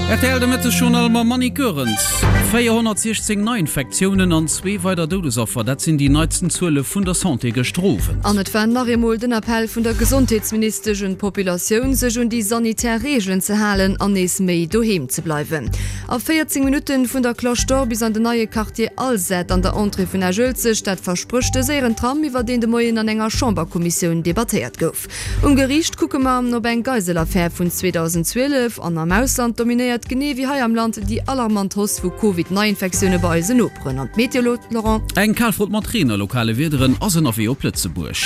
Rtl de Mëtteg-Journal mam Monique Goerens. 416 Neiinfektiounen an zwee weider Doudesaffer, dat sinn déi neitsten Zuele vun der Santé gëschter Owend. An et war nach eemol den Appell vun der Gesondheetsministesch un d'Populatioun, sech un déi sanitär Reegelen ze halen an nees méi doheem ze bleiwen. A 14 Minutten vun der Cloche d'Or bis an den neie Quartier Alzette an der Entrée vun Esch-Uelzecht, dat versprécht de séieren Tram, iwwer deen de Moien an enger Chamberkommissioun debattéiert gouf. Um Geriicht kucke mer op eng Geiselaffär vun 2012 an am Ausland dominéiert genee wéi hei am Land déi alarmant Hausse vu Covid-Neiinfektioune bei eisen Noperen. An d'Meteo, Laurent? Eng Kalfront mat Reen a lokale Wiederen ass ënnerwee op Lëtzebuerg.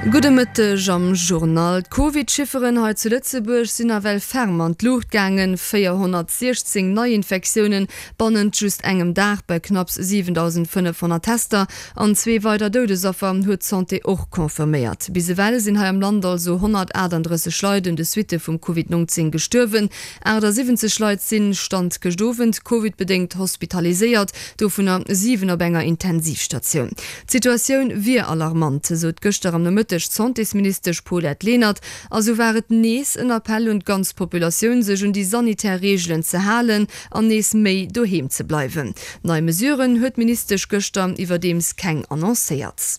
Gudde Mëtteg am Journal. D'Covid-Chifferen hei zu Lëtzebuerg sinn nawell ferm an d'Luucht gaangen, 416 Neiinfektiounen bannent just engem Dag bei knapps 7.500 Tester An zwee weider Doudesaffer huet d'Santé och confirméiert. Bis ewell sinn hei am Land also 138 Leit un de Suitte vum Covid 19 gestuerwen. 78 Leit sinn, Stand gëscht Owend, Covid-bedéngt hospitaliséiert, dovunner 7 op enger Intensivstatioun. D'Situatioun wier alarmant, sot gëschter am Nomëtteg d'Santésministesch Paulette Lenert. A sou war et nees en Appell un d'ganz Populatioun, sech un déi sanitär Reegelen ze halen an nees méi doheem ze bleiwen. Nei Mesuren huet d'Ministesch gëschter iwwerdeems keng annoncéiert.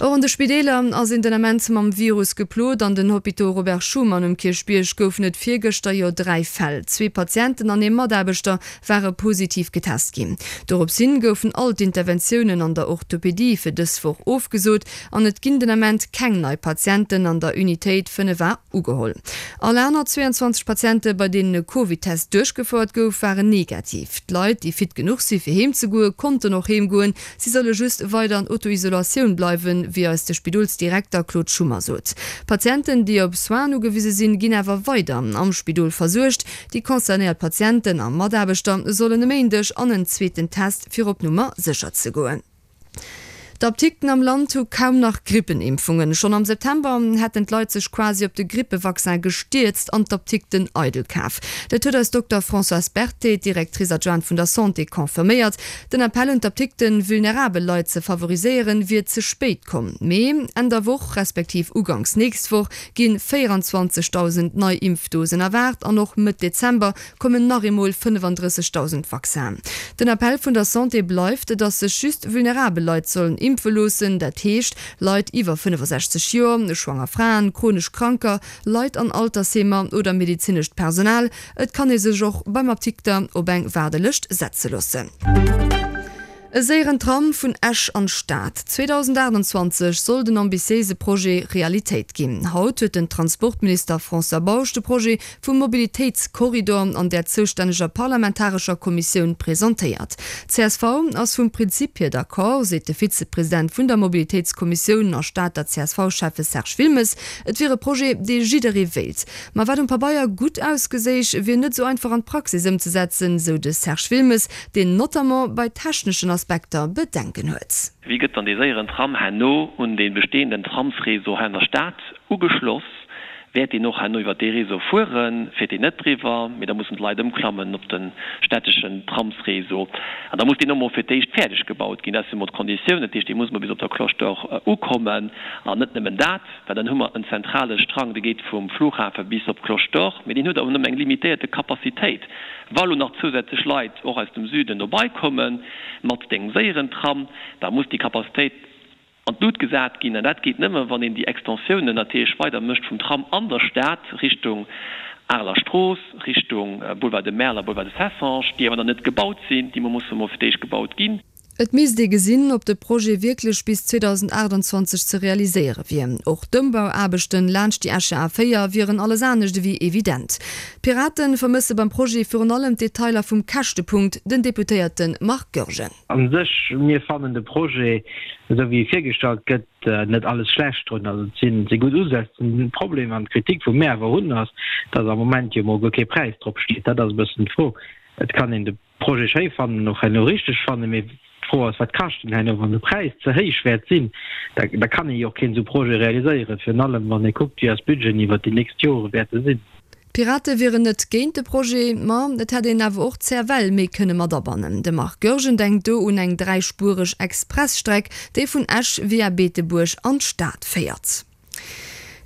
Och an de Spideeler ass een den Ament mam Virus geplot. An den Hôpitaux Robert Schuman um Kierchbierg goufen et virgëschter jo 3 Fäll. Zwee Patienten an ee Mataarbechter ware positiv getest ginn. Dorops hin goufen all d'Interventiounen an der Orthopedie fir dës Woch ofgesot an et ginn den Ament keng nei Patienten an der Unitéit 5 A Ugeholl. All aner 22 Patiente bei deenen e Covid-Test duerchgefouert gouf, waren negativ. D'Leit, déi fit genuch si fir heem ze goen, konnten och heem goen. Si solle just weider an Auto-Isolatioun bleiwen, wéi eis de Spidolsdirekter Claude Schummer sot. Patienten, déi op Soinen ugewise sinn, ginn awer weider am Spidol versuergt. Déi concernéiert Patienten a Mataarbechter sollen e Méindeg an en zweeten Test, fir op Nummer sécher ze goen. D'Apdikten am Land hu kaum nach Grippenimpfungen. Schonn am September hätten d'Leit sech quasi op de Grippevaccin gestierzt an d'Apdikten eidel kaf. Dat huet eis Dokter Françoise Berthet, Directrice adjointe vun der Santé, confirméiert. Den Appell un d'Apdikten, vulnerabel Leit ze favoriséieren, wier ze spéit komm. Mee Enn der Woch, respektiv uganks nächst Woch, gi 24.000 nei Impfdosen erwaart an och Mëtt Dezember kommen nach eemol 35.000 Vaccinen. Den Appell vun der Santé bleift, datt sech just vulnerabel Leit sollen impfe loossen, dat heescht Leit iwwer 65 Joer, schwanger Fraen, chronesch Kranker, Leit an Altersheemer oder medezinescht Personal. Et kann ee sech och beim Apdikter op eng Waardelëscht setze loossen. E séieren Tram vun Esch an d'Stad. 2028 soll den ambitiéise Projet Realitéit ginn. Haut huet den Transportminister François Bausch de Projet vum Mobilitéitskorridor an där zoustänneger parlamentarescher Kommissioun presentéiert. Csv ass vum Prinzip hier d'accord, seet de Vizepresident vun der Mobilitéitskommissioun a Stater CSV-Schäffe Serge Wilmes. Et wier e Projet, dee jidderee wéilt. Ma wat um Pabeier gutt ausgeséich, wier net esou einfach an d'Praxis ëmzesetzen, sou de Serge Wilmes. deen notamment bei techneschen Aspekter Bedenken huet. Wéi gëtt dann dee séieren Tram herno un dee bestehenden Tramsréseau hei an der Stad ugeschloss? Wäert deen och herno iwwert dee Réseau fueren? Fiert deen net driwwer, mee da mussen d'Leit ëmklammen op de städteschen Tramsréseau. An da muss deen och mol fir d'éischt fäerdeg gebaut ginn. Dat si mol d'Konditiounen. Dat heescht, dee muss mol bis op der Cloche d'Or ukommen. An net nëmmen dat, well dann hu mer en zentrale Strang, dee geet vum Flughafe bis op d'Cloche d'Or, mee deen huet awer nëmmen eng limitéierte Capacitéit. Wa lo nach zousätzlech Leit och aus dem Süden dobei komme mat dengem séieren Tram, da muss déi Capacitéit an d'Lut gesat ginn. An dat geet nëmme wann een déi Extensiounen natierlech weider mécht vum Tram an der Stad Richtung Areler Strooss, Richtung Boulevard de Merl a Boulevard de Cessange, déi awer nach net gebaut sinn, déi musse mol fir d'éischt gebaut ginn. Et misst ee gesinn, ob de Projet wierklech bis 2028 ze realiséiere wier. Och d'Ëmbauaarbechten laanscht déi Escher A 4 wieren alles anescht ewéi evident. D'Pirate vermësse beim Projet virun allem d'Detailer vum Käschtepunkt, den Deputéierte Marc Goergen. A sech, mir fannen de Projet, esou wéi e virgestallt gëtt, net alles schlecht drun. Also et si gutt Usätz. Den Problem an d'Kritik, wou mir awer hunn, ass, datt am Moment jo mol guer kee Präis drop steet. Dat ass e bëssen d'Fro. Et kann een de Projet schéi fannen, och herno richteg fannen, mee d'Fro ass, wat kascht en herno? Wann de Präis ze héich wäert sinn, da da kann ee jo och keen esou Projet realiséieren, virun allem wann ee kuckt, wéi eis Budgeten iwwert déi nächst Jore wäerte sinn. D'Pirate wieren net géint de Projet, ma et hätt een awer och d'CFL méi kënne mat abannen. De Marc Goergen denkt do un eng dräispuereg Expressstreck, déi vun Esch via Beetebuerg an d'Stad féiert.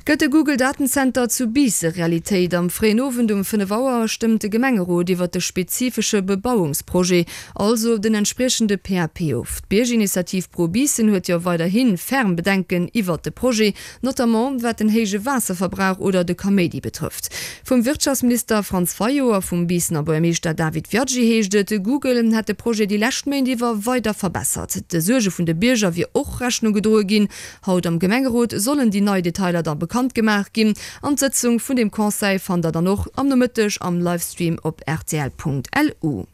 Gëtt de Google Datenzenter zu Biisse Realitéit? Am fréien Owend um 5 Auer stëmmt de Gemengerot iwwert de spezifesche Bebauungsprojet, also den entspriechende PAP of. D'Biergerinitiativ Pro Biissen huet jo weiderhi ferm Bedenken iwwert de Projet, notamment wat den héije Waasserverbrauch oder de Kaméidi betrëfft. Vum Wirtschaftsminister Franz Fayot a vum Biissener Buergermeeschter David Viaggi heescht et, Google hätt de Projet déi lescht Méint iwwer weider verbessert. De Suerge vun de Bierger wier och Rechnung gedroe ginn. Haut am Gemengerot sollen déi nei Detailer da bekannt gemaach ginn an d'Sëtzung vun dem Conseil fannt der dann och am Nomëtteg am Livestream op rtl.lu.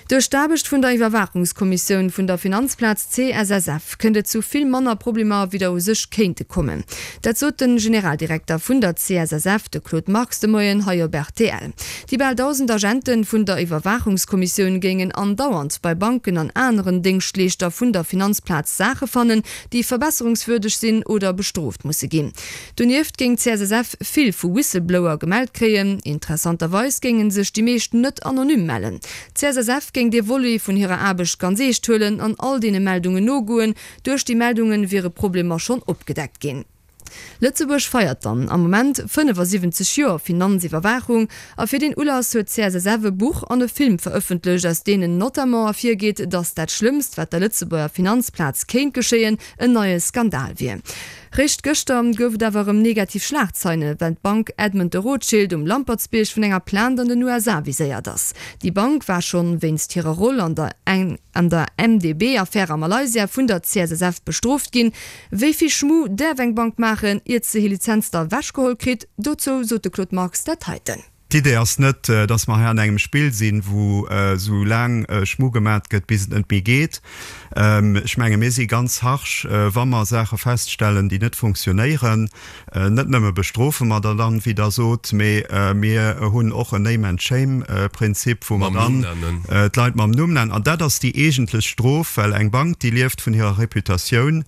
Duerch d'Aarbecht vun der Iwwerwaachungskommissioun vun der Finanzplaz CSSF kënnt et zu vill manner Problemer wéi der u sech kéinte kommen. Dat sot de Generaldirekter vun der CSSF, de Claude Marx de Moien hei op rtl. Déi bal 1.000 Agente vun der Iwwerwaachungskommissioun géingen andauernd bei Banken an aneren Déngschtleeschter vun der Finanzplaz Saache fannen, déi verbesserungswürdeg sinn oder bestrooft musse ginn. Donieft géing d'CSSF vill vu Whistleblower gemellt kréien. Interessanterweis géinge sech déi meescht net anonym mellen. D'CSSF géing dee Volet vun hirer Aarbecht ganz eescht huelen an all deene Meldungen nogoen. Duerch déi Meldunge wiere Problemer schonn opgedeckt ginn. Lëtzebuerg feiert dann am Moment 75 Joer Finanziwwerwaachung a fir deen Ulass huet d'CSSF e Buch an e Film verëffentlecht, aus deenen notamment ervirgeet, datt dat Schlëmmst, wat der Lëtzebuerger Finanzplaz kéint geschéien, en neie Skandal wier. Réischt gëschter gouf et awer erëm negativ Schlagzeile, well d'Bank Edmond de Rothschild um Lampertsbierg vun enger Plainte an den USA viséiert ass. Déi Bank war schonn wéinst hirer Roll an der an der MDB-Affär a Malaysia vun der CSSF bestrooft ginn. Wéi vill Schmu däerf eng Bank maachen, iert se hir Lizenz da ewechgeholl kritt? Dozou sot de Claude Marx dat heiten. D'Idee ass net, dass mer hei an engem Spill sinn, wou esou laang Schmu gemat gëtt, bis et net méi geet. Ech menge mir si ganz harsch, wa mer Saache feststellen, déi net funktionéieren. Net nëmme bestrofe mer der dann, wéi Der sot, mee mir hunn och en Name-and-Shame-Prinzip, wou mer dann d'Leit mam Numm nennen. An dat ass déi eegentlech Strof, well eng Bank, déi lieft vun hirer Reputatioun.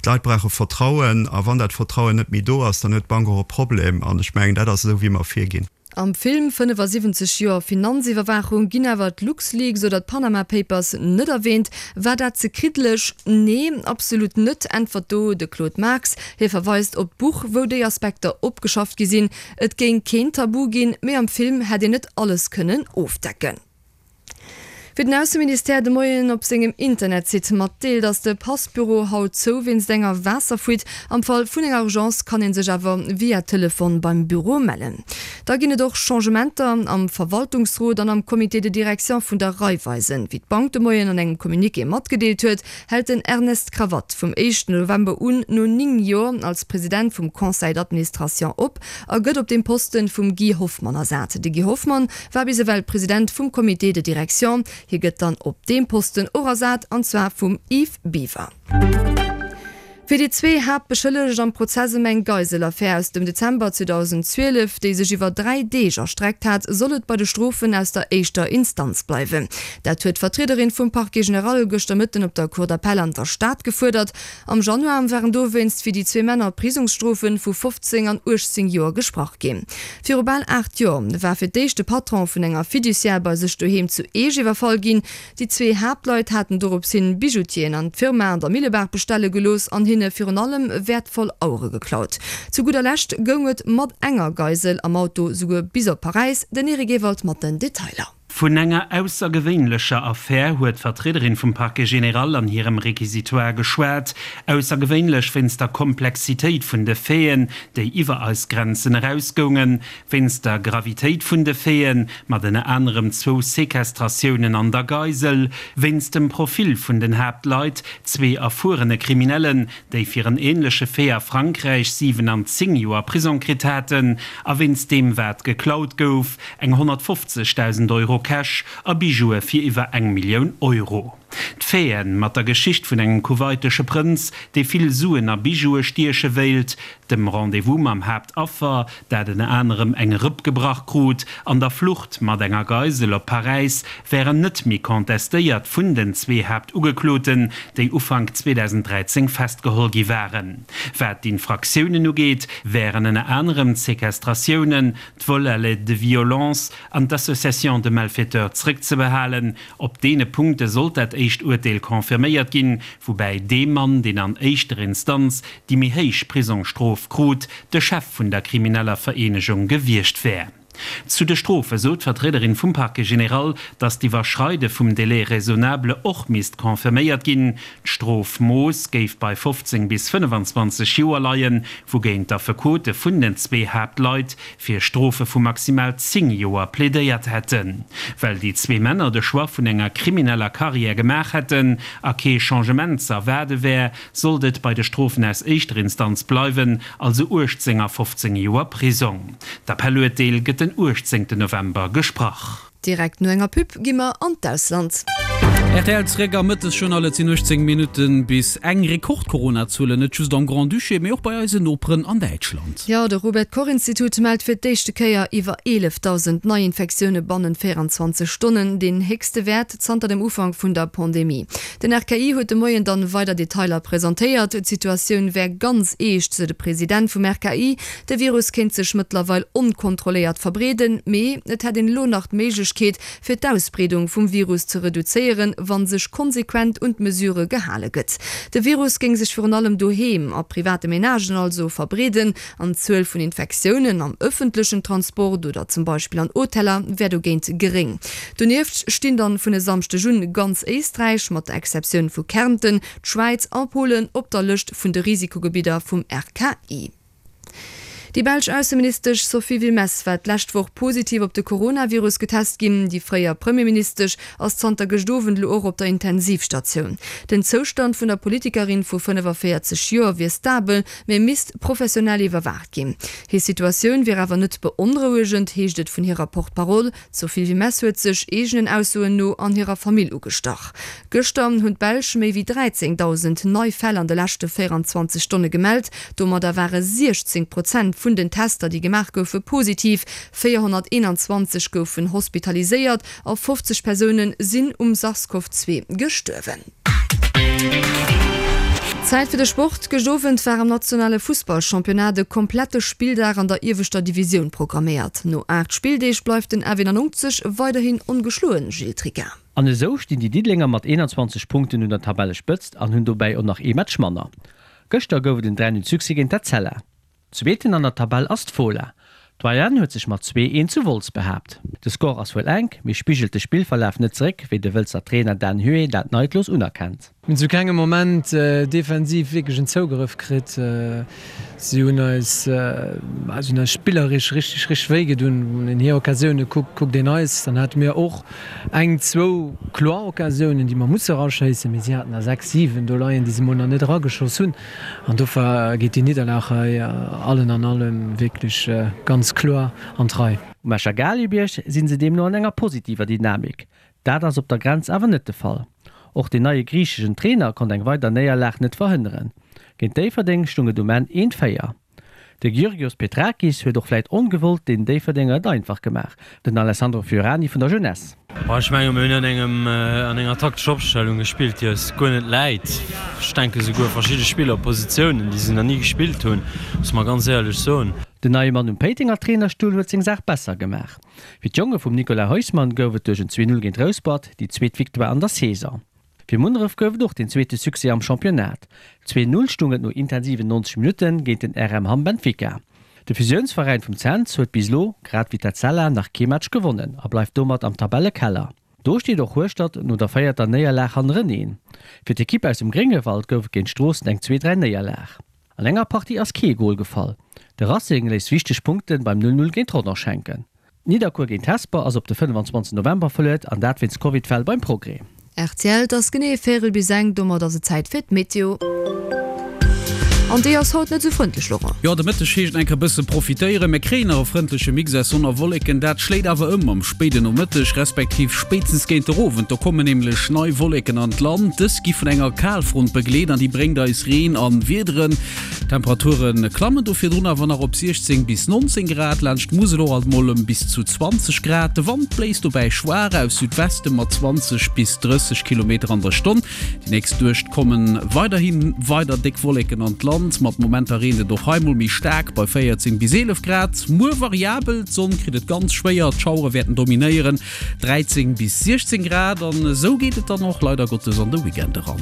D'Leit brauche Vertrauen, a wann dat Vertrauen net méi do ass, dann huet d'Bank och e Problem. An ech mengen, dat ass esou, wéi mer virginn. Am Film 75 Joer Finanziwwerwaachung ginn awer d'LuxLeaks oder d'Panama Papers net erwähnt. War dat ze kriddeleg? Nee, absolut net, äntwert do de Claude Marx. Hie verweist op d'Buch, wou déi Aspekter opgeschafft gi sinn. Et géing keen Tabu ginn, mee am Film hätt een net alles kënnen ofdecken. Wéi den Ausseministère de Moien op sengem Internetsite matdeelt, ass de Passbüro haut zou wéinst enger Waasserfuite. Am Fall vun enger Urgence kann ee sech awer via Telefon beim Büro mellen. Da ginn et och Changementer am Verwaltungsrot an am Comité de direction vun der Raiffeisen. Wéi d'Bank de Moien an engem Communiqué matgedeelt huet, hält den Ernest Cravatte vum éischten November un no 9 Joer als President vum Conseil d'administration op a gëtt op deem Posten vum Guy Hoffmann ersat. De Guy Hoffmann war bis ewell President vum Comité de direction. Hie gëtt dann op deem Posten och ersat, an zwar vum Yves Biwer. Fir déi zwee Haaptbeschëllegt am Prozess ëm eng Geiselaffär aus dem Dezember 2012, déi sech iwwer 3 Deeg erstreckt hat, soll et bei de Strofen aus der éischter Instanz bleiwen. Dat huet d'Vertriederin vum Parquet général gëschter Mëtten op der Cour d'appel an der Stad gefuerdert. Am Januar waren dowéinst fir déi zwee Männer Prisongsstrofe vu 15 an 18 Joer gesprach ginn. Viru bal 8 Joer war fir d'éischt de Patron vun enger Fiduciaire bei sech doheem zu Eech iwwerfall ginn. Déi zwee Haaptleit haten dorops hin Bijoutieren an d'Firma an der Millebaach bestelle gelooss an hinne virun allem wäertvoll Auere geklaut. Zu gudder Lescht goung et mat enger Geisel am Auto souguer bis op Paräis. Den Eric Ewald mat den Detailer. Vun enger aussergewéinlecher Affär huet d'Vertriederin vum Parquet général an hirem Réquisitoire geschwat. Aussergewéinlech wéinst der Komplexitéit vun de Faiten, déi iwwer eis Grenzen erausgoungen, wéinst der Gravitéit vun de Faiten, mat ënner anerem zwou Sequestratiounen an der Geisel, wéinst dem Profil vun den Haaptleit, zwee erfuerene Kriminellen, déi fir en änleche Fait a Frankräich 7 an 10 Joer Prisong kritt haten, a wéinst deem wat geklaut gouf, eng 150.000 Euro Cash a Bijoue fir iwwer eng Millioun Euro. D'Faiten mat der Geschicht vun engem kuwaitesche Prënz, dee vill Suen a Bijoue stieche wéilt, dem Rendez-vous mam Haaptaffer, dat ënner anerem eng Rëpp gebrach krut, an der Flucht mat enger Geisel op Paräis wären net méi contestéiert vun den zwee Haaptugekloten, déi Ufank 2013 festgeholl gi waren. Wat d'Infraktiounen ugeet, wären ënner anerem d'Sequestratiounen, d'Vol à l'aide de violence an d'Association de malfaiteurs zrëckzebehalen. Op deene Punkte sollt dat. éischt Urteel confirméiert ginn, woubäi dee Mann, deen an éischter Instanz déi méi héich Prisongsstrof krut, de Chef vun der krimineller Vereenegung gewiescht wär. Zu de Strofe sot d'Vertriederin vum Parquet général, datt d'Iwwerschreide vum Délai raisonnable och misst confirméiert ginn. D'Strofmooss géif bei 15 bis 25 Joer leien, wougéint d'Affekote vun den zwee Haaptleit fir Strofe vu maximal 10 Joer plädéiert hätten. Well déi zwee Männer de Choix vun enger krimineller Karriär gemaach hätten a kee Changement ze erwaarde wär, sollt et bei de Strofen aus éischter Instanz bleiwen, also 18 a 15 Joer Prisong. D'Appelluerteel gëtt den 18 November gesprach. Direkt no enger Pub gi mer an d'Ausland. Rtl zeréck am Mëttesjournal. Et sinn 18 Minutte bis eng. Rekord-Corona-Zuelen net just am Grand-Duché, mee och bei eisen Noperen an Däitschland. Jo, de Robert-Koch-Institut mellt fir d'éischte Kéier iwwer 11.000 Neiinfektioune bannent 24 Stonnen, deen héchste Wäert zanter dem Ufank vun der Pandemie. Den RKI huet de Moien dann weider Detailer presentéiert. D'Situatioun wär ganz eescht, sou de President vum RKI. De Virus kéint sech mëttlerweil onkontrolléiert verbreeden, mee et hätt een elo nach d'Méiglechkeet, fir d'Ausbreedung vum Virus ze reduzéieren, wa sech konsequent un d'Mesurë gehale gëtt. De Virus géing sech virun allem doheem, a private Menagen also, verbreeden an d'Zuel vun Infektiounen am ëffentlechen Transport oder zum Beispill an Hoteller wär dogéint geréng. Donieft stinn dann vun e Samschdeg un ganz Éisträich, mat der Exceptioun vu Kärnten, d'Schwäiz a Polen op der Lëscht vun de Risikogebidder vum RKI. Déi belsch Ausseministesch Sophie Wilmès war d'lescht Woch positiv op de Coronavirus getest ginn. Déi fréier Premierministesch ass zanter gëscht Owend elo och op der Intensivstatioun. Den Zoustand vun der Politikerin vu 45 Joer wier stabel, mee misst professionell iwwerwaacht ginn. Hir Situatioun wier awer net beonrouegend, heescht et vun hirer Porte-parole. D'Sophie Wilmès huet sech, eegenen Aussoen no, an hirer Famill ugestach. Gëschter hunn d'Belsch méi wéi 13.000 nei Fäll an de leschte 24 Stonne gemellt. Domadder ware 16 Prozent vun den Tester, déi gemaach goufe, positiv. 421 goufen hospitaliséiert a 50 Persoune sinn um Sars-CoV-2 gestuerwen. Zäit fir de Sport, Gëscht Owend war am nationale Fussballchampionnat e komplette Spilldag an der ieweschter Divisioun programméiert. No 8 Spilldeeg bleift den FE 99 weiderhin ongeschloen, Gilles Tricca. An esou stinn déi Diddelenger mat 21 Punkten un der Tabellespëtzt an hunn dobäi och nach ee Match manner. Gëschter gouf et en 3, 0 Succès géint d'Etzella. Zweeten an der Tabell ass d'Fola. D'Doyenne huet sech mat 2, 1 zu Wolz behaapt. De Score ass wuel enk, mee spigelt de Spillverlaf net zeréck, wéi de Wëlzer Trainer Dan Huet dat neidlos unerkennt. Mir hunn zu kengem Moment defensiv wierklech en Zougrëff kritt. Si hunn eis, si hunn eis spilleresch richteg, richteg wéi gedun. Wann een hir Occasioune kuckt, kuckt een eis, dann hate mir och eng, zwou kloer Occasiounen, déi mer musse eraschéissen, mee si haten der 6, 7 do leien, déi se mol nach net erageschoss hunn. An dofir geet déi Nidderlag hei allen an allem wierklech ganz kloer an d'Rei. Um Escher Galibierg si se deemno an enger positiver Dynamik. Dat ass op der Grenz awer net de Fall. Och den neie griicheschen Trainer konnt eng weider Néierlag net verhënneren. Géint Déifferdeng stung et um Enn 1, 4. De Georgios Petrakis huet och vläit ongewollt den Déifferdenger et einfach gemaach, den Alessandro Fiorani vun der Jeunesse. Ech menge mir hunn an engem an enger taktescher Opstellung gespillt, déi eis guer net läit. Ech denke souguer verschidde Spillerpositiounen, déi se nach ni gespillt hunn, muss mer ganz éierlech soen. Den neie Mann um Péitenger Trainerstull huet seng Saach besser gemaach. Fir d'Jonge vum Nicolas Huisman gouf et duerch en 2, 0 géint Rouspert déi zweet Victoire an der Saison. Fir Munneref gouf et och den zweete Succès am Championnat. 2, 0 stung et no intensiven 90 Minutte géint den RM Hamm Benfica. De Fusiounsveräin vum Cents huet bis elo, grad wéi d'Etzella, nach kee Match gewonnen a bleift domat am Tabellekeller. Do steet och Hueschtert no der véierter Néierlag hannereneen. Fir d'Ekipp aus dem Gréngewald gouf et géint Stroossen eng 2, 3 Néierlag. An enger Partie ass kee Gol gefall. De Racing léisst wichteg Punkte beim 0, 0 géint Rodange hänken. Nidderkuer géint Hesper ass op de 25 November verluet an dat wéinst Covid-Fäll beim Progrès. Rtl, Et ass genee véirel bis eng, domat ass et Zäit fir d'Meteo. An déi ass haut net esou frëndlech, Laurent. Jo, de Mëtteg heescht enker bësse profitéieren. Mir kréien nach e frëndleche Mix aus Sonn a Wolleken, dat schléit awer ëm am spéiden Nomëtteg, respektiv spéitstens géint der Owend. Do kommen nämlech nei Wolleken an d'Land. Dës gi vun enger Kalfront begleet an déi bréngt eis Reen an Wiederen. D'Temperature klammen do virdrun awer nach op 16 bis 19 Grad, laanscht d'Musel och alt mol ëm bis zu 20 Grad. De Wand bléist dobäi schwaach aus Südweste mat 20 bis 30 Kilometer an der Stonn. Déi nächst Nuecht komme weiderhi weider déck Wolleken an d'Land, mat Momenter reent et och hei mol méi staark bei 14 bis 11 Grad. Muer variabel, d'Sonn kritt et ganz schwéier, d'Schauere wäerten dominéieren, 13 bis 16 Grad. An esou geet et dann och leider Gottes an de Weekend eran.